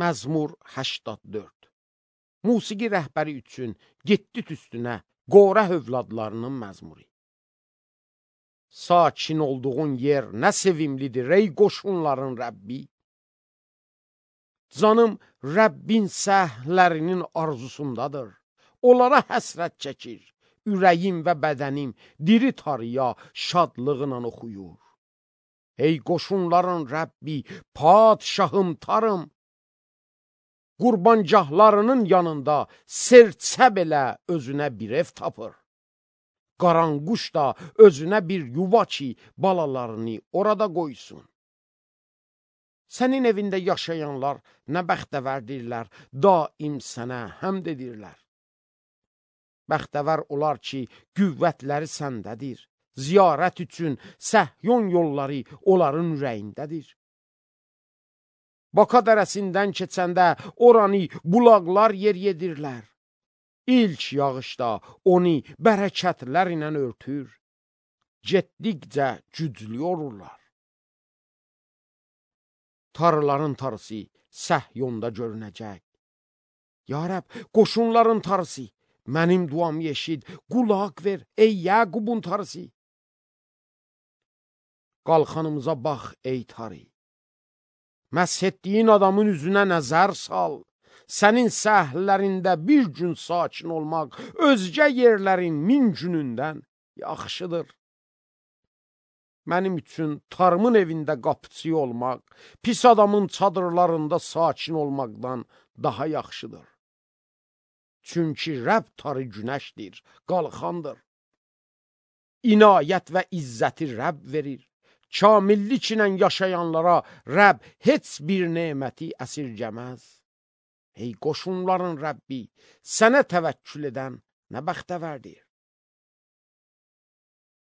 Məzmur 84. Musiqi rəhbəri üçün getdi üstünə Qorah övladlarının məzmuru. Sakin olduğun yer nə sevimlidir ey qoşunların Rəbbi. Canım Rəbbin səhlərinin arzusundadır. Onlara həsrət çəkir. Ürəyim və bədənim diri tarıya şadlığına oxuyur. Ey qoşunların Rəbbi, padşahım tarım. Qurbancahlarının yanında serçə belə özünə bir ev tapır. Qaranquş da özünə bir yuva ki, balalarını orada qoysun. Sənin evində yaşayanlar nə bəxtəvərdirlər, daim sənə həmd edirlər. Bəxtəvər olar ki, qüvvətləri səndədir. Ziyarət üçün Səhyon yolları onların ürəyindədir. Baka dərəsindən keçəndə oranı bulaqlar yer yedirlər. İlk yağışda onu bərəkətlər ilə örtür. Getdikcə güclü olurlar. Tarıların tarısı Səhyonda görünəcək. Ya Rəbb, qoşunların tarısı, mənim duamı eşid, qulaq ver, ey Yaqubun tarısı. Qalxanımıza bax, ey tarı. Məsh etdiyin adamın üzünə nəzər sal. Sənin səhərlərində bir gün sakin olmaq, özgə yerlərin min günündən yaxşıdır. Mənim üçün tarımın evində qapıçı olmaq, pis adamın çadırlarında sakin olmaqdan daha yaxşıdır. Çünki Rəbb tarı günəşdir, qalxandır. İnayət və izzəti Rəbb verir. Kamillik ilə yaşayanlara Rəbb heç bir neməti əsirgəməz. Ey qoşunların Rəbbi, sənə təvəkkül edən nə bəxtəvərdir.